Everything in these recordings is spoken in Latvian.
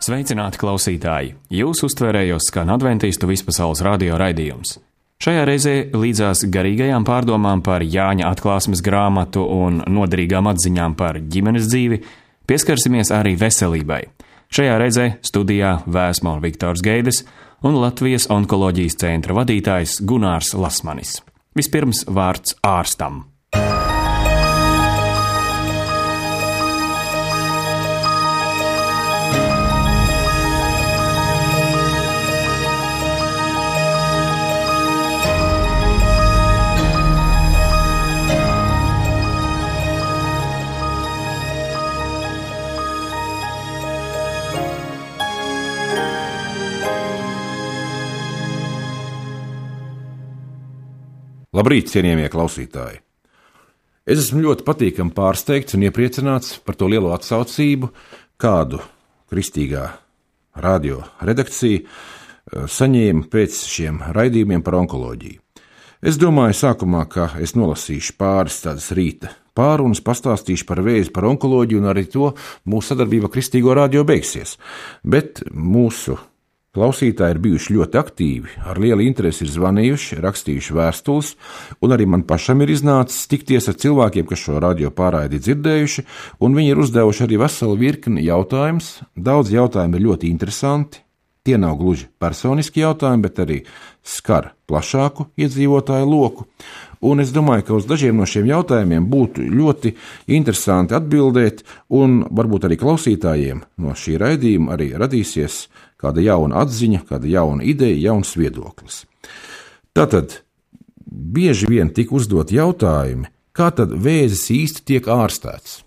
Sveicināti klausītāji! Jūs uztvērējos skan adventistu vispasaules radio raidījums. Šajā reizē līdzās garīgajām pārdomām par Jāņa atklāsmes grāmatu un noderīgām atziņām par ģimenes dzīvi pieskarsimies arī veselībai. Šajā reizē studijā Vēsma un Viktors Geides un Latvijas onkoloģijas centra vadītājs Gunārs Lasmanis. Vispirms vārds ārstam. Labrīt, cienījamie klausītāji! Es esmu ļoti patīkami pārsteigts un iepriecināts par to lielo atsaucību, kādu kristīgā radio redakcija saņēma pēc šiem raidījumiem par onkoloģiju. Es domāju sākumā, ka es nolasīšu pāris tādas rīta pārunas, pastāstīšu par vēzi, par onkoloģiju un arī to mūsu sadarbība kristīgo radio beigsies. Bet mūsu klausītāji ir bijuši ļoti aktīvi, ar lielu interesi ir zvanījuši, rakstījuši vēstules, un arī man pašam ir iznācis tikties ar cilvēkiem, kas šo radio pārraidi dzirdējuši, un viņi ir uzdevuši arī veselu virkni jautājumus. Daudz jautājumu ir ļoti interesanti. Tie nav gluži personiski jautājumi, bet arī skar plašāku iedzīvotāju loku. Un es domāju, ka uz dažiem no šiem jautājumiem būtu ļoti interesanti atbildēt, un varbūt arī klausītājiem no šī raidījuma arī radīsies kāda jauna atziņa, kāda jauna ideja, jauns viedoklis. Tātad bieži vien tika uzdot jautājumi, kā tad vēzis īsti tiek ārstēts?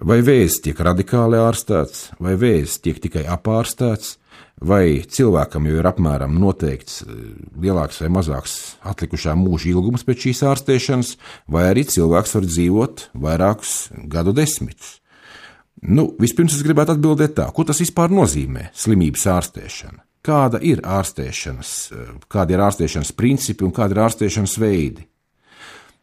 Vai vēzis tiek radikāli ārstēts, vai vēzis tiek tikai apārstēts, vai cilvēkam jau ir apmēram noteikts lielāks vai mazāks atlikušā mūža ilgums pēc šīs ārstēšanas, vai arī cilvēks var dzīvot vairākus gadu desmitus. Vispirms es gribētu atbildēt tā, ko tas vispār nozīmē slimības ārstēšana? Kādi ir ārstēšanas principi un kādi ir ārstēšanas veidi?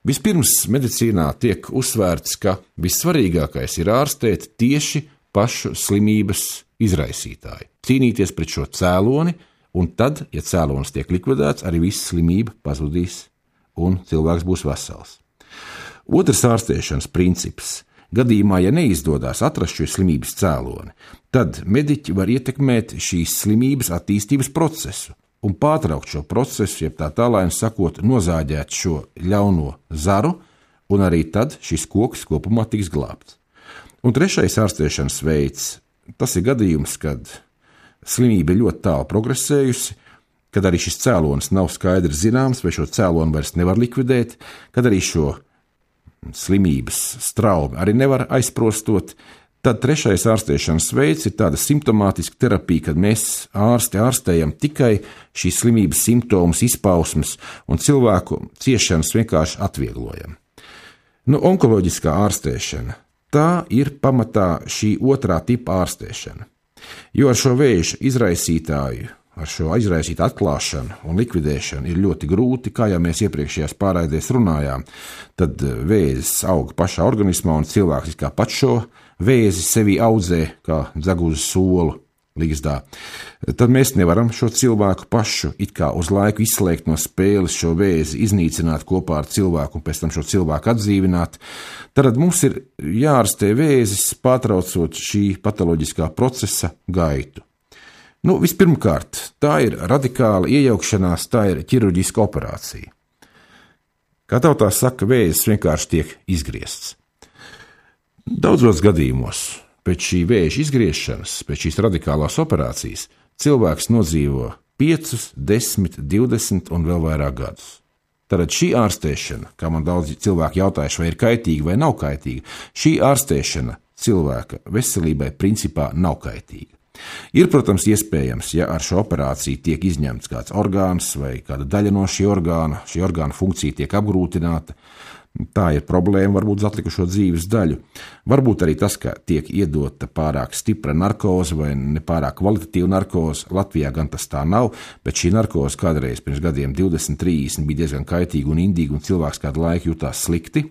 Vispirms medicīnā tiek uzsvērts, ka vissvarīgākais ir ārstēt tieši pašu slimības izraisītāju. Cīnīties pret šo cēloni, un tad, ja cēlonis tiek likvidēts, arī visa slimība pazudīs un cilvēks būs vesels. Otrs ārstēšanas princips. Gadījumā, ja neizdodas atrast šo slimības cēloni, tad mediķi var ietekmēt šīs slimības attīstības procesu un pārtraukt šo procesu, jeb tā tālāk sakot, nozāģēt šo ļauno zaru, un arī tad šis koks kopumā tiks glābts. Un trešais ārstēšanas veids, tas ir gadījums, kad slimība ir ļoti tālu progresējusi, kad arī šis cēlonis nav skaidrs zināms, vai šo cēloni vairs nevar likvidēt, kad arī šo slimības straumi arī nevar aizprostot, tad trešais ārstēšanas veids ir tāda simptomātiska terapija, kad mēs ārstējam tikai šīs slimības simptomus, izpausmes un cilvēku ciešanas vienkārši atvieglojam. Onkoloģiskā ārstēšana, tā ir pamatā šī otrā tipa ārstēšana, jo ar šo vēža izraisītāju, ar šo izraisītu atklāšanu un likvidēšanu ir ļoti grūti, kā jau mēs iepriekšējās pārraidēs runājām, tad vēzis aug pašā organismā un cilvēks kā pats šo vēzi sevi audzē kā dzeguzi solu ligzdā. Tad mēs nevaram šo cilvēku pašu it kā uz laiku izslēgt no spēles, šo vēzi iznīcināt kopā ar cilvēku un pēc tam šo cilvēku atdzīvināt. Tad mums ir jārastē vēzis, pārtraucot šī patoloģiskā procesa gaitu. Vispirmkārt, tā ir radikāla iejaukšanās, tā ir ķirurģiska operācija. Kā tautā saka, vēzis vienkārši tiek izgriezts. Daudzos gadījumos pēc šī vēža izgriešanas, pēc šīs radikālās operācijas, cilvēks nodzīvo 5, 10, 20 un vēl vairāk gadus. Tātad šī ārstēšana, kā man daudz cilvēki jautājuši, vai ir kaitīga vai nav kaitīga, šī ārstēšana cilvēka veselībai principā nav kaitīga. Ir, protams, iespējams, ja ar šo operāciju tiek izņemts kāds orgāns vai kāda daļa no šī orgāna funkcija tiek apgrūtināta, tā ir problēma varbūt uz atlikušo dzīves daļu. Varbūt arī tas, ka tiek iedota pārāk stipra narkoze vai nepārāk kvalitatīva narkoze. Latvijā gan tas tā nav, bet šī narkoze kādreiz pirms gadiem 20, 30 bija diezgan kaitīga un indīga un cilvēks kādu laiku jutās slikti.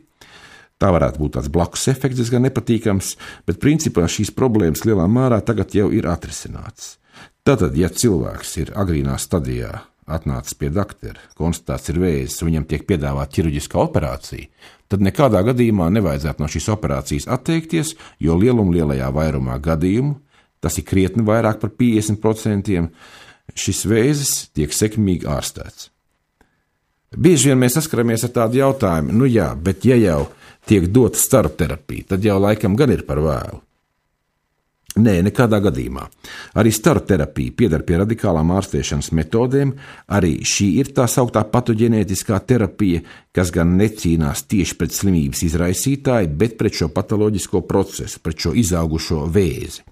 Tā varētu būt tāds blakus efekts, diezgan nepatīkams, bet principā šīs problēmas lielā mērā tagad jau ir atrisinātas. Tātad, ja cilvēks ir agrīnā stadijā atnācis pie doktora, konstatēts ir vēzis, un viņam tiek piedāvāta ķirurģiskā operācija, tad nekādā gadījumā nevajadzētu no šīs operācijas atteikties, jo lielajā vairumā gadījumu, tas ir krietni vairāk par 50%, šis vēzis tiek sekmīgi ārstēts. Bieži vien mēs saskaramies ar tādu jautājumu, bet ja jau tiek dota staru terapija, tad jau laikam gan ir par vēlu. Nē, nekādā gadījumā. Arī staru terapija pieder pie radikālām ārstēšanas metodēm, arī šī ir tā sauktā patoģenētiskā terapija, kas gan necīnās tieši pret slimības izraisītāju, bet pret šo patoloģisko procesu, pret šo izaugušo vēzi.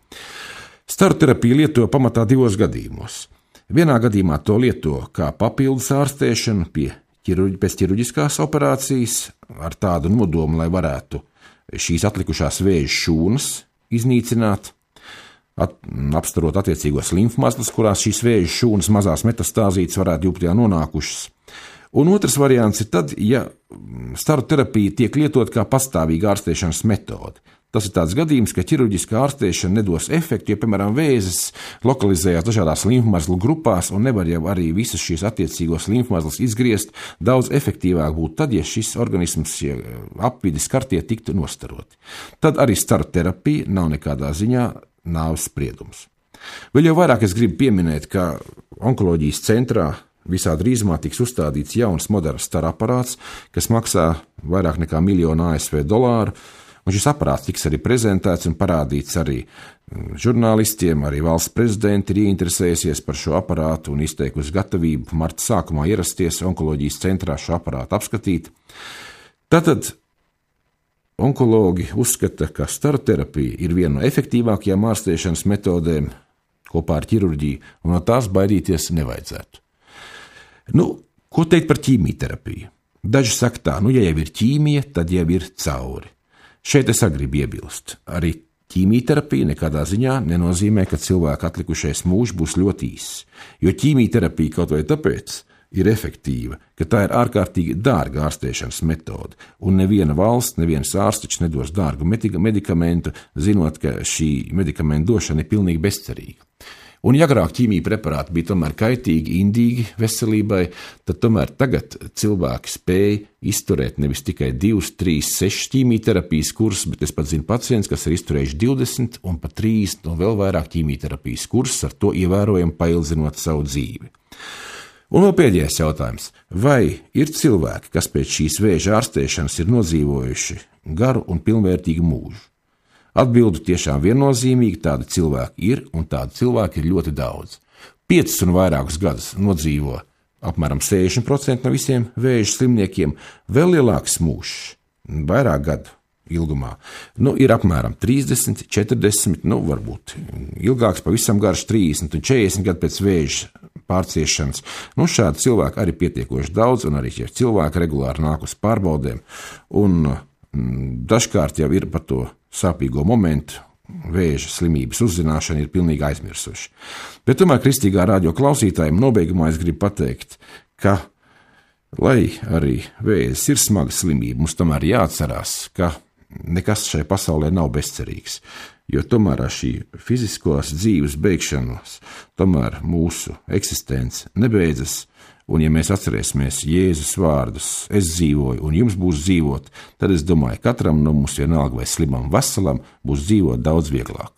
Staru terapiju lieto pamatā 2 gadījumos. Vienā gadījumā to lieto kā papildus ārstēšanu pēc ķirurģiskās operācijas, ar tādu nodomu, lai varētu šīs atlikušās vēža šūnas iznīcināt, apstarot attiecīgos limfmazglus, kurās šīs vēža šūnas mazās metastāzītes varētu būt nonākušas. Un otrs variants ir tad, ja staru terapija tiek lietot kā pastāvīga ārstēšanas metode. Tas ir tāds gadījums, ka ķirurģiskā ārstēšana nedos efektu, jo, piemēram, vēzis lokalizējās dažādās limfmazglu grupās un nevar jau arī visas šīs attiecīgos limfmazglus izgriezt. Daudz efektīvāk būtu tad, ja šis organisms, apvidis kartie tiktu nostaroti. Tad arī staru terapija nav nekādā ziņā nāves spriedums. Vēl jau vairāk es gribu pieminēt, ka onkoloģijas centrā visā drīzumā tiks uzstādīts jauns moderns staru aparāts, kas maksā vairāk nekā $1 miljonu ASV, un šis aparāts tiks arī prezentēts un parādīts arī žurnālistiem, arī valsts prezidenti ir ieinteresējusies par šo aparātu un izteikusi gatavību marta sākumā ierasties onkoloģijas centrā šo aparātu apskatīt. Tātad onkologi uzskata, ka staru terapija ir viena no efektīvākajām ārstēšanas metodēm kopā ar ķirurģiju, un no tās baidīties nevajadzētu. Ko teikt par ķīmijterapiju? Daži saka tā, ja jau ir ķīmija, tad jau ir cauri. Šeit es gribu iebilst. Arī ķīmijterapija nekādā ziņā nenozīmē, ka cilvēka atlikušais mūžs būs ļoti īss, jo ķīmijterapija kaut vai tāpēc ir efektīva, ka tā ir ārkārtīgi dārga ārstēšanas metode, un neviena valsts, neviens ārsts nedos dārgu medikamentu, zinot, ka šī medikamenta došana ir pilnīgi bezcerīga. Un ja agrāk ķīmija preparāti bija tomēr kaitīgi, indīgi veselībai, tad tomēr tagad cilvēki spēj izturēt nevis tikai 2, 3, 6 ķīmijterapijas kursus, bet es pat zinu pacients, kas ir izturējuši 20 un pat 30 un vēl vairāk ķīmijterapijas kursus, ar to ievērojami paildzinot savu dzīvi. Un vēl pēdējais jautājums. Vai ir cilvēki, kas pēc šīs vēža ārstēšanas ir nodzīvojuši garu un pilnvērtīgu mūžu? Atbildu tiešām viennozīmīgi, tādi cilvēki ir, un tādi cilvēki ir ļoti daudz. 5 un vairākus gadus nodzīvo apmēram 60% no visiem vēža slimniekiem, vēl lielāks mūžs, vairāk gadu ilgumā. Ir apmēram 30, 40, varbūt ilgāks, pavisam garš 30 un 40 gadu pēc vēža pārciešanas. Šādi cilvēki arī pietiekoši daudz, un arī šie cilvēki regulāri nāk uz pārbaudēm, un dažkārt jau ir par to sāpīgo momentu, vēža slimības uzzināšana ir pilnīgi aizmirsuši. Bet tomēr kristīgā radio klausītājiem nobeigumā es gribu pateikt, ka, lai arī vēzis ir smaga slimība, mums tomēr jāatcerās, ka nekas šai pasaulē nav bezcerīgs, jo tomēr ar šī fiziskās dzīves beigšanos tomēr mūsu eksistence nebeidzas. Un ja mēs atcerēsimies Jēzus vārdus, es dzīvoju un jums būs dzīvot, tad es domāju, katram no mums vienalga vai slimam veselam būs dzīvot daudz vieglāk.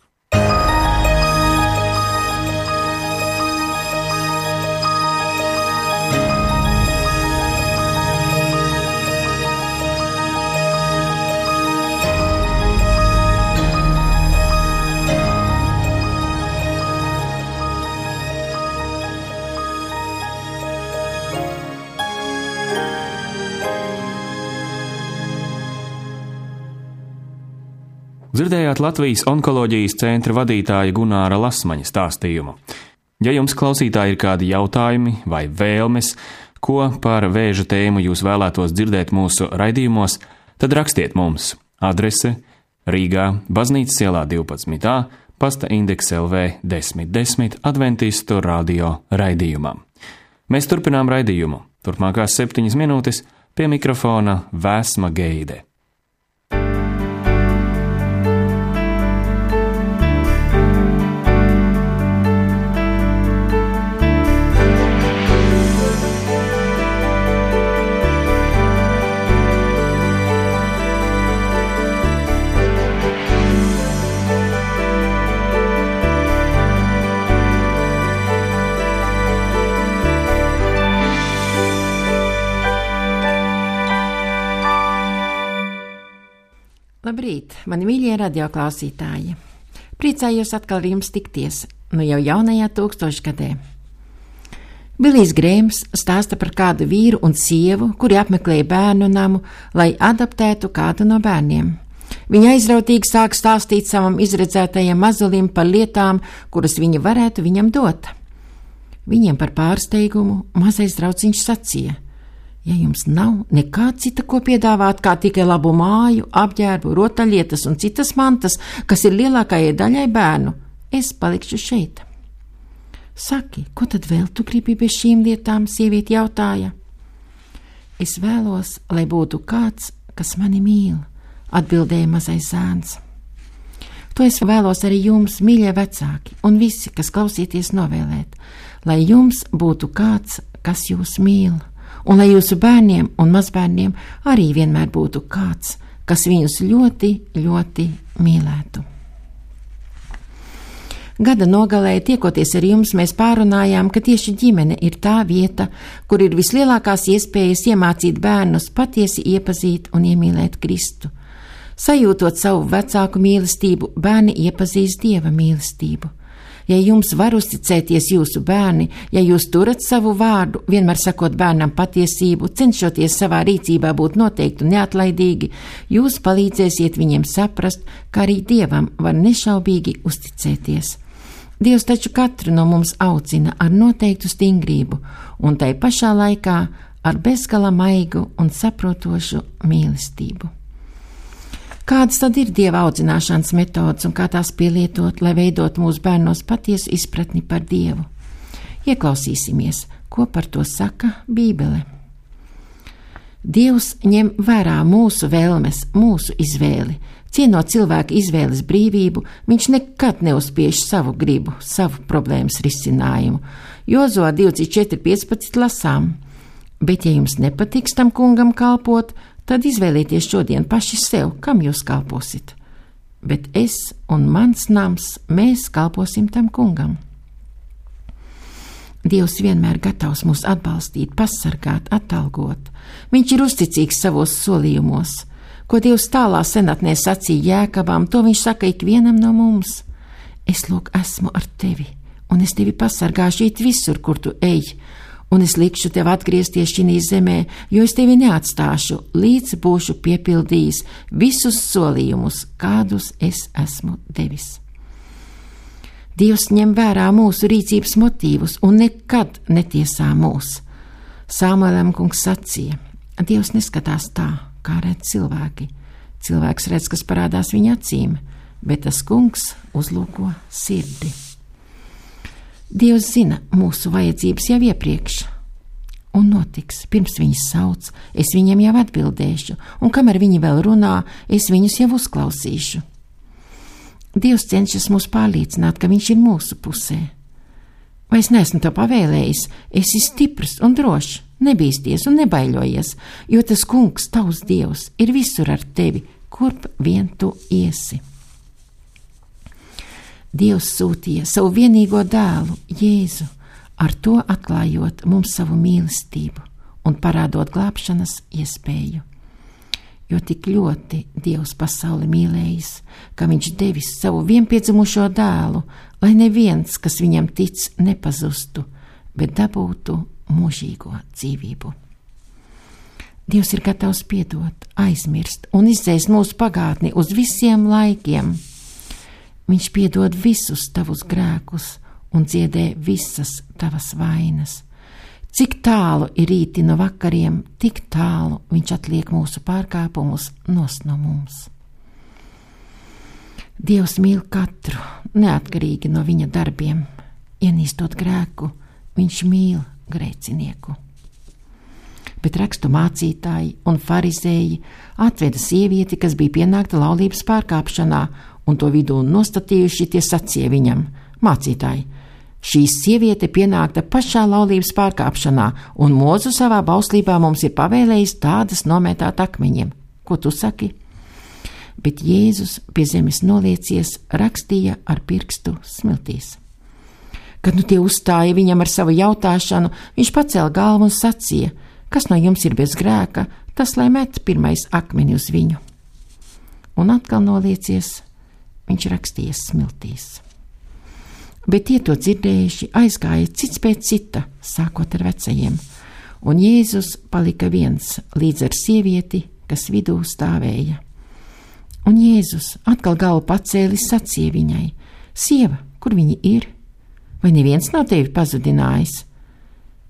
Dzirdējāt Latvijas onkoloģijas centra vadītāja Gunāra Lasmaņa stāstījumu. Ja jums, klausītāji, ir kādi jautājumi vai vēlmes, ko par vēža tēmu jūs vēlētos dzirdēt mūsu raidījumos, tad rakstiet mums. Adrese Rīgā, Baznīcas ielā 12a, pasta indeks LV 1010 Adventistu radio raidījumam. Mēs turpinām raidījumu. Turpmākās 7 minūtes pie mikrofona Vēsma Geide. Labrīt, mani mīļie radioklausītāji! Priecājos atkal ar jums tikties, jau jaunajā tūkstošgadē. Bilijs Grēms stāsta par kādu vīru un sievu, kuri apmeklēja bērnu namu, lai adoptētu kādu no bērniem. Viņa aizrautīgi sāk stāstīt savam izredzētajam mazulim par lietām, kuras viņa varētu viņam dot. Viņiem par pārsteigumu mazais drauciņš sacīja: ja jums nav nekā cita, ko piedāvāt, kā tikai labu māju, apģērbu, rotaļlietas un citas mantas, kas ir lielākajai daļai bērnu, es palikšu šeit. Saki, ko tad vēl tu gribi bez šīm lietām, sieviete jautāja. Es vēlos, lai būtu kāds, kas mani mīl, atbildēja mazais zēns. To es vēlos arī jums, mīļie vecāki, un visi, kas klausieties, novēlēt, lai jums būtu kāds, kas jūs mīl, un lai jūsu bērniem un mazbērniem arī vienmēr būtu kāds, kas viņus ļoti, ļoti mīlētu. Gada nogalē, tiekoties ar jums, mēs pārunājām, ka tieši ģimene ir tā vieta, kur ir vislielākās iespējas iemācīt bērnus patiesi iepazīt un iemīlēt Kristu. Sajūtot savu vecāku mīlestību, bērni iepazīst Dieva mīlestību. Ja jums var uzticēties jūsu bērni, ja jūs turat savu vārdu, vienmēr sakot bērnam patiesību, cenšoties savā rīcībā būt noteikti un neatlaidīgi, jūs palīdzēsiet viņiem saprast, ka arī Dievam var nešaubīgi uzticēties. Dievs taču katru no mums audzina ar noteiktu stingrību un tai pašā laikā ar bezgala maigu un saprotošu mīlestību. Kādas tad ir Dieva audzināšanas metodas un kā tās pielietot, lai veidot mūsu bērnos patiesu izpratni par Dievu? Ieklausīsimies, ko par to saka Bībele. Dievs ņem vērā mūsu vēlmes, mūsu izvēli. Cienot cilvēka izvēles brīvību, viņš nekad neuzspiež savu gribu, savu problēmas risinājumu. Jozoā 24:15 lasām: bet ja jums nepatiks tam kungam kalpot, tad izvēlieties šodien paši sev, kam jūs kalposit. Bet es un mans nams, mēs kalposim tam kungam. Dievs vienmēr gatavs mūs atbalstīt, pasargāt, atalgot. Viņš ir uzticīgs savos solījumos. Ko Dievs tālā senatnē sacīja Jēkabam, to viņš saka ikvienam no mums. Es lūk esmu ar tevi, un es tevi pasargāšu it visur, kur tu ej, un es likšu tev atgriezties šī zemē, jo es tevi neatstāšu, līdz būšu piepildījis visus solījumus, kādus es esmu devis. Dievs ņem vērā mūsu rīcības motīvus un nekad netiesā mūs. Samuēlam kungs sacīja: Dievs neskatās tā, kā redz cilvēki. Cilvēks redz, kas parādās viņa acīm, bet tas kungs uzlūko sirdi. Dievs zina mūsu vajadzības jau iepriekš, un notiks, pirms viņas sauc, es viņiem jau atbildēšu, un kamēr viņi vēl runā, es viņus jau uzklausīšu. Dievs cenšas mūs pārliecināt, ka viņš ir mūsu pusē. Vai es neesmu to pavēlējis? Esi stiprs un drošs, nebīsties un nebaiļojies, jo tas kungs, tavs Dievs, ir visur ar tevi, kurp vien tu iesi. Dievs sūtīja savu vienīgo dēlu, Jēzu, ar to atklājot mums savu mīlestību un parādot glābšanas iespēju. Jo tik ļoti Dievs pasauli mīlējis, ka viņš devis savu vienpiedzimušo dēlu, lai neviens, kas viņam tic, nepazustu, bet dabūtu mūžīgo dzīvību. Dievs ir gatavs piedot, aizmirst un izdzēst mūsu pagātni uz visiem laikiem. Viņš piedod visus tavus grēkus un dziedē visas tavas vainas. Cik tālu ir rīti no vakariem, tik tālu viņš atliek mūsu pārkāpumus nos no mums. Dievs mīl katru, neatkarīgi no viņa darbiem. Ienīstot grēku, viņš mīl grēcinieku. Bet rakstu mācītāji un farizēji atveda sievieti, kas bija pienākta laulības pārkāpšanā, un to vidū nostatījuši tie sacīja viņam: mācītāji, šī sieviete pienākta pašā laulības pārkāpšanā, un Mūzu savā bauslībā mums ir pavēlējis tādas nomētāt akmeņiem. Ko tu saki? Bet Jēzus pie zemes noliecies, rakstīja ar pirkstu smiltīs. Kad nu tie uzstāja viņam ar savu jautāšanu, viņš pacēla galvu un sacīja: kas no jums ir bez grēka, tas lai met pirmais akmeni uz viņu. un atkal noliecies, viņš rakstījies smiltīs. Bet tie to dzirdējuši aizgāja cits pēc cita, sākot ar vecajiem, un Jēzus palika viens līdz ar sievieti, kas vidū stāvēja. Un Jēzus atkal galvu pacēlis sacīja viņai: Sieva, kur viņi ir? Vai neviens nav tevi pazudinājis?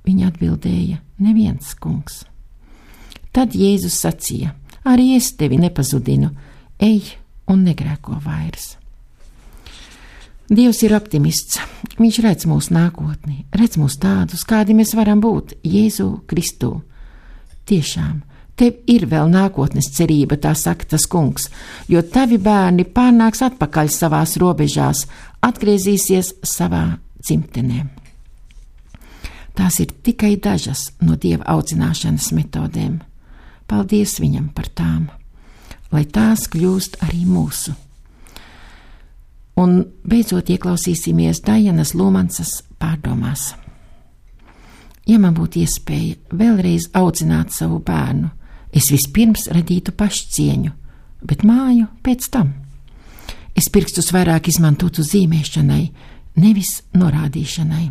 Viņa atbildēja: Neviens, kungs. Tad Jēzus sacīja: Arī es tevi nepazudinu, ej un negrēko vairs. Dievs ir optimists. Viņš redz mūsu nākotni, redz mūs tādus, kādi mēs varam būt Jēzu Kristū. Tiešām, tev ir vēl nākotnes cerība, tā saka tas kungs, jo tavi bērni pārnāks atpakaļ savās robežās, atgriezīsies savā dzimtenē. Tās ir tikai dažas no Dieva audzināšanas metodēm. Paldies viņam par tām, lai tās kļūst arī mūsu. Un beidzot ieklausīsimies Dajanas Lumansas pārdomās. Ja man būtu iespēja vēlreiz audzināt savu bērnu, es vispirms radītu pašcieņu, bet māju pēc tam. Es pirkstus vairāk izmantotu zīmēšanai, nevis norādīšanai.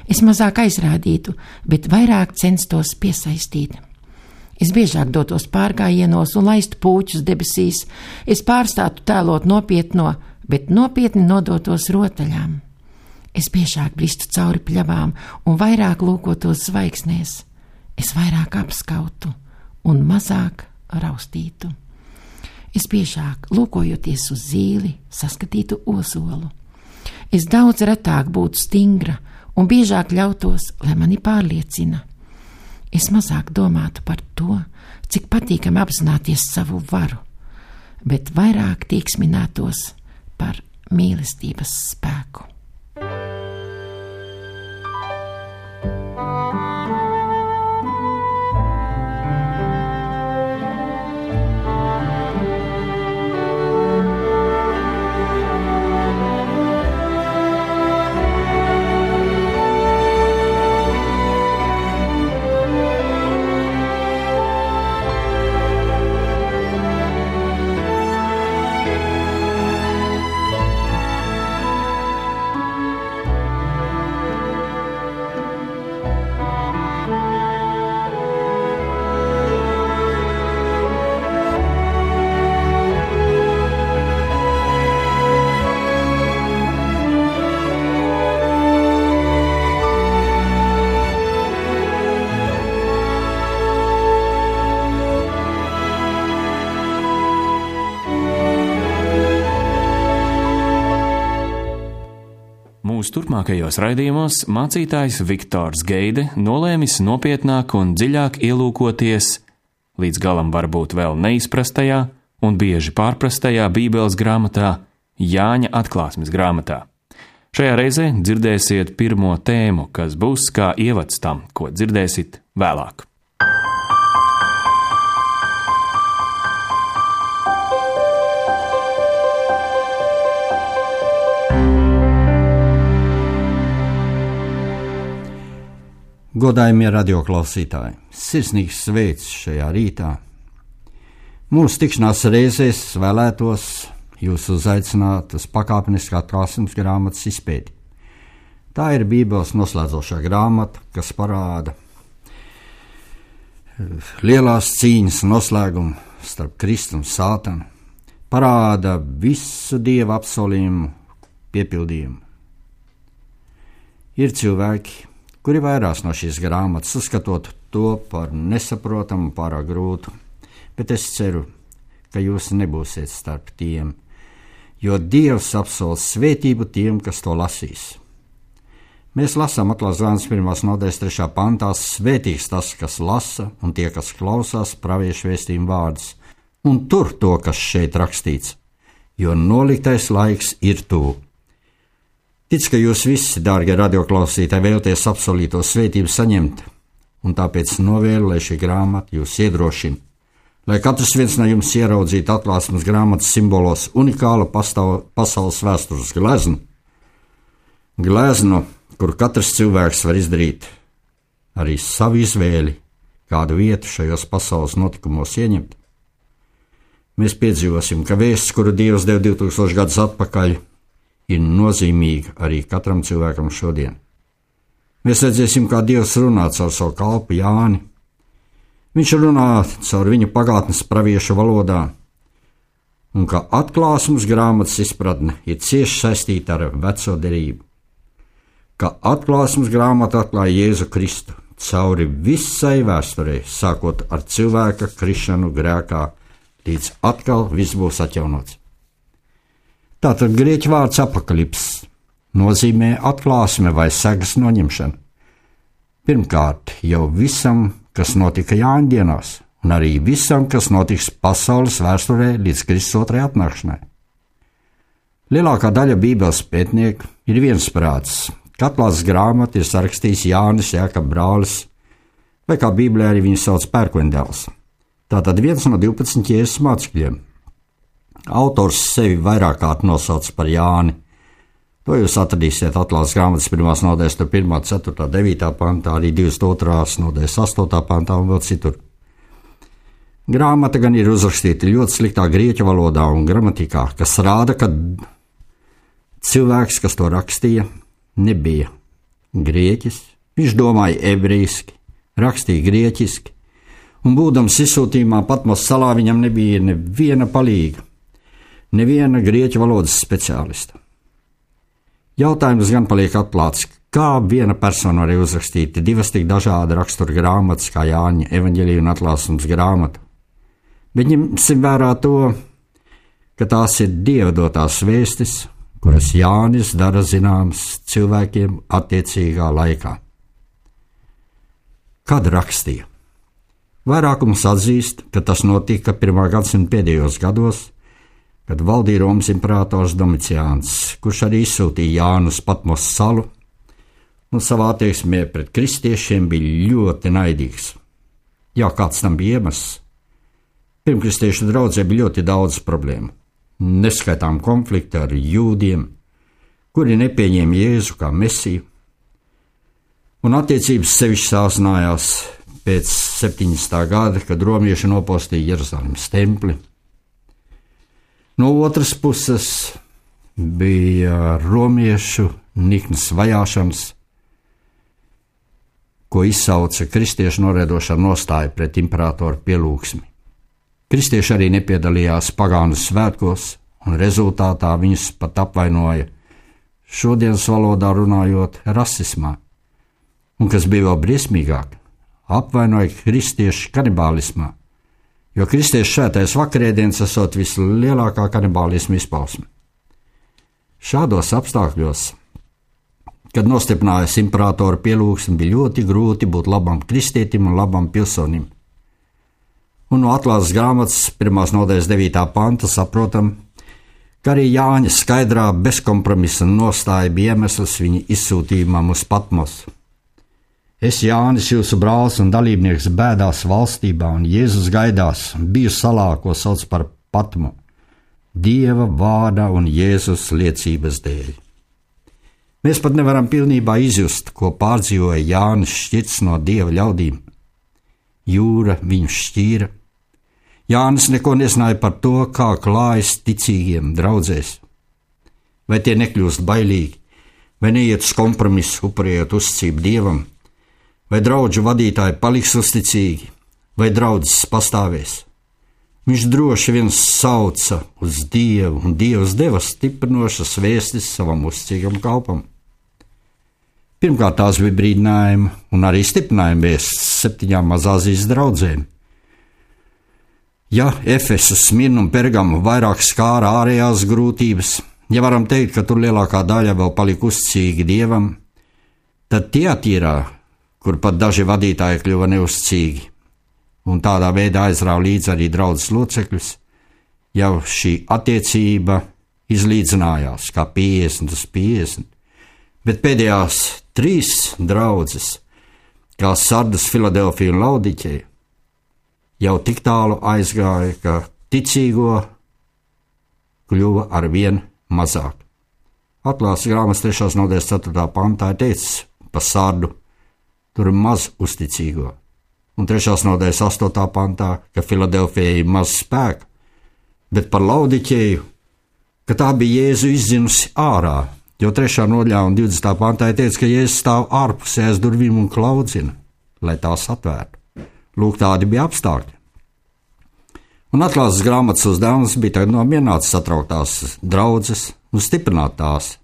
Es mazāk aizrādītu, bet vairāk censtos piesaistīt. Es biežāk dotos pārgājienos un laistu pūķus debesīs. Es pārstātu tēlot nopietno, bet nopietni nodotos rotaļām. Es biežāk bristu cauri pļavām un vairāk lūkotos zvaigznēs. Es vairāk apskautu un mazāk raustītu. Es biežāk, lūkojoties uz zīli, saskatītu ozolu. Es daudz retāk būtu stingra un biežāk ļautos, lai mani pārliecina. Es mazāk domātu par to, cik patīkami apzināties savu varu, bet vairāk tieksminātos par mīlestības spēku. Mūsu turpmākajos raidījumos mācītājs Viktors Geide nolēmis nopietnāk un dziļāk ielūkoties līdz galam varbūt vēl neizprastajā un bieži pārprastajā Bībeles grāmatā, Jāņa atklāsmes grāmatā. Šajā reizē dzirdēsiet pirmo tēmu, kas būs kā ievads tam, ko dzirdēsit vēlāk. Godājamie radioklausītāji, sirsnīgs sveiks šajā rītā. Mūsu tikšanās reizēs vēlētos jūs uzaicināt uz pakāpenisku atklāsmes grāmatas izpēti. Tā ir Bībeles noslēdzošā grāmata, kas parāda lielās cīņas noslēgumu starp Kristu un Sātanu, parāda visu Dieva apsolījumu piepildījumu. Ir cilvēki, kuri vairās no šīs grāmatas, uzskatot to par nesaprotamu, pārāk grūtu, bet es ceru, ka jūs nebūsiet starp tiem, jo Dievs apsola svētību tiem, kas to lasīs. Mēs lasām atklāsmes grāmatas 1. nodaļas 3. pantā: svētīgs tas, kas lasa, un tie, kas klausās praviešu vēstījumu vārdus, un tur to, kas šeit rakstīts, jo noliktais laiks ir tuvu. Tic, ka jūs visi, dārgie radioklausītāji, vēlaties apsolīto svētību saņemt, un tāpēc novēlu, lai šī grāmata jūs iedrošina, lai katrs viens no jums ieraudzītu atklāsmes grāmatas simbolos unikālu pasaules vēstures gleznu, kur katrs cilvēks var izdarīt arī savu izvēli, kādu vietu šajos pasaules notikumos ieņemt. mēs piedzīvosim, ka vēsts, kuru Dievs deva 2000 gadus atpakaļ, ir nozīmīga arī katram cilvēkam šodien. Mēs redzēsim, kā Dievs runā caur savu kalpu Jāni. Viņš runā caur viņu pagātnes praviešu valodā, un ka atklāsmes grāmatas izpratne ir cieši saistīta ar veco derību. Ka atklāsmes grāmata atklāja Jēzu Kristu cauri visai vēsturei, sākot ar cilvēka krišanu grēkā, līdz atkal viss būs atjaunots. Tātad grieķu vārds apakalips nozīmē atklāsme vai segas noņemšana. Pirmkārt, jau visam, kas notika Jāņa dienās, un arī visam, kas notiks pasaules vēsturē līdz Kristus otrajai atnākšanai. Lielākā daļa Bībeles pētnieku ir viensprātis, ka atklāsmes grāmatu ir sarakstījis Jānis Jākaba brālis, vai kā Bībelē arī viņu sauc pērkondēls. Tātad viens no 12 Jēzus mācekļiem. Autors sevi vairāk kārt nosauc par Jāni. To jūs atradīsiet atklāsmes grāmatas 1. nodaļas 1., 4., 9. pantā, arī 22. nodaļas 8. pantā un vēl citur. Grāmata gan ir uzrakstīta ļoti sliktā grieķu valodā un gramatikā, kas rāda, ka cilvēks, kas to rakstīja, nebija grieķis. Viņš domāja ebrejski, rakstīja grieķiski, un būdams izsūtījumā Patmos salā viņam nebija neviena palīga, neviena grieķu valodas speciālista. Jautājums gan paliek atklāts, kā viena persona var uzrakstīt divas tik dažāda rakstura grāmatas kā Jāņa evaņģēlija un atklāsmes grāmata. Bet ņemsim vērā to, ka tās ir Dieva dotās vēstis, kuras Jānis dara zināmas cilvēkiem attiecīgā laikā. Kad rakstīja? Vairākums atzīst, ka tas notika 1. gadsimta pēdējos gados, kad valdīja Romas imperators Domiciāns, kurš arī izsūtīja Jānu uz Patmos salu, un savā attieksmē pret kristiešiem bija ļoti naidīgs. Jā, kāds tam bija iemesls? Pirmkristiešu draudzē bija ļoti daudz problēmu, neskaitām konflikti ar jūdiem, kuri nepieņēma Jēzu kā mesiju, un attiecības sevišķi sāsinājās pēc 70. gada, kad romieši nopostīja Jeruzalemes templi. No otras puses bija romiešu niknas vajāšanas, ko izsauca kristiešu noraidošā nostāja pret imperatoru pielūgsmi. Kristieši arī nepiedalījās pagānu svētkos, un rezultātā viņus pat apvainoja, šodienas valodā runājot, rasismā, un kas bija vēl briesmīgāk, apvainoja kristiešu kanibālismā, jo kristiešu šētais vakarēdienas esot vislielākā kanibālisma izpausme. Šādos apstākļos, kad nostiprinājās imperatoru pielūgsmi, bija ļoti grūti būt labam kristietim un labam pilsonim. Un no atklāsmes grāmatas 1. nodaļas 9. panta saprotam, ka arī Jāņa skaidrā bezkompromisa nostāja bija iemesls viņa izsūtījumam uz Patmos. Es, Jānis, jūsu brālis un dalībnieks bēdās valstībā un Jēzus gaidās, biju salā, ko sauc par Patmu, Dieva vārda un Jēzus liecības dēļ. Mēs pat nevaram pilnībā izjust, ko pārdzīvoja Jānis šķirts no Dieva ļaudīm. Jūra viņu šķīra. Jānis neko nezināja par to, kā klājas ticīgiem draudzēs. Vai tie nekļūst bailīgi, vai neiet uz kompromisu, upurējot uzticību Dievam, vai draudžu vadītāji paliks uzticīgi, vai draudzes pastāvēs. Viņš droši vien sauca uz Dievu, un Dievs deva stiprinošas vēstis savam uzticīgam kalpam. Pirmkārt, tās bija brīdinājuma un arī stiprinājuma vēstis 7 Mazāzijas draudzēm. Ja Efesu, Smirnu un Pergamu vairāk skāra ārējās grūtības, ja varam teikt, ka tur lielākā daļa vēl palika uzticīgi Dievam, tad Tiatīrā, kur pat daži vadītāji kļuva neuzticīgi, un tādā veidā aizrāva līdzi arī draudzes locekļus, jau šī attiecība izlīdzinājās kā 50/50, bet pēdējās 3 draudzes, kā Sardas, Filadelfija un Laudikeja, jau tik tālu aizgāja, ka ticīgo kļuva ar vien mazāk. Atklāsmes grāmatas 3. nodaļas 4. pantā ir teicis par Sardu, tur ir maz uzticīgo, un 3. nodaļas 8. pantā, ka Filadelfijai ir maz spēka, bet par Laodiķeju, ka tā bija Jēzu izdzinusi ārā, jo 3. nodaļā un 20. pantā teica, ka Jēzus stāv ārpusē aiz durvīm un klaudzina, lai tās atvērtu. Lūk, tādi bija apstākļi. Un atklāsmes grāmatas uzdevums bija tagad nomierināt satrauktās draudzes un stiprināt tās.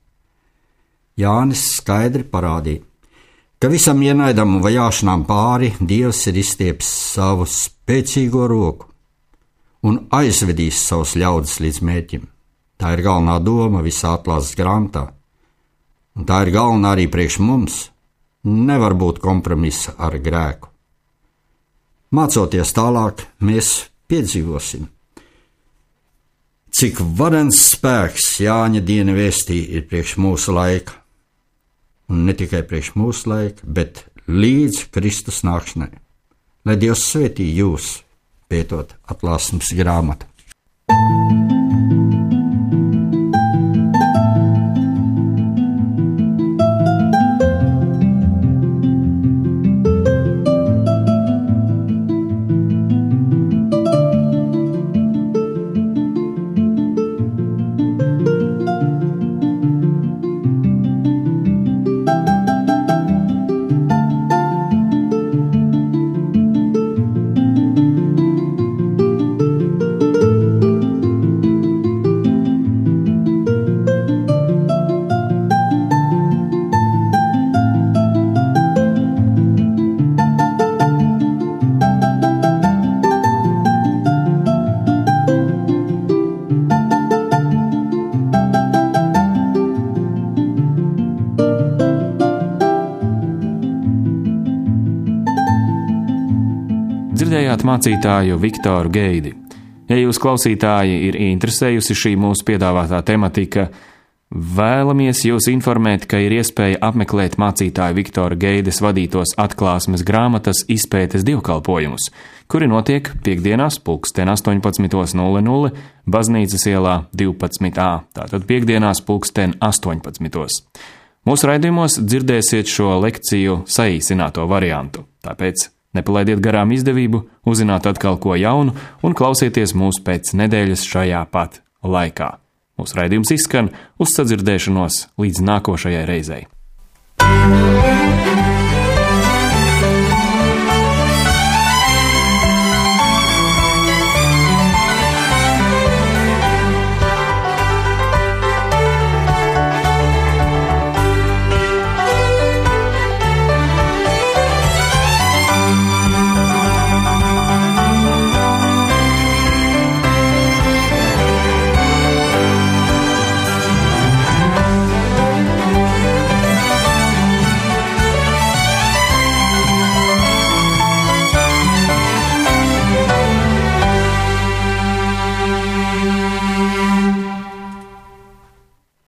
Jānis skaidri parādīja, ka visam ienaidam un vajāšanām pāri Dievs ir izstiepis savu spēcīgo roku un aizvedīs savus ļaudis līdz mērķim. Tā ir galvenā doma visā atklāsmes grāmatā, un tā ir galvenā arī priekš mums. Nevar būt kompromisa ar grēku. Mācoties tālāk, mēs piedzīvosim, cik varens spēks Jāņa diena vēstī ir priekš mūsu laika, un ne tikai priekš mūsu laika, bet līdz Kristus nākšanai. Lai Dievs svētī jūs, pētot atklāsmes grāmatu. Dzirdējāt mācītāju Viktoru Geidi. Ja jūs klausītāji ir interesējusi šī mūsu piedāvātā tematika, vēlamies jūs informēt, ka ir iespēja apmeklēt mācītāju Viktora Geides vadītos atklāsmes grāmatas izpētes dievkalpojumus, kuri notiek piekdienās 18:00 Baznīcas ielā 12a, tātad piekdienās 18:00. Mūsu raidījumos dzirdēsiet šo lekciju saīsināto variantu, tāpēc nepalaidiet garām izdevību uzzināt atkal ko jaunu un klausieties mūs pēc nedēļas šajā pat laikā. Mūsu raidījums izskan, uz sadzirdēšanos līdz nākošajai reizei.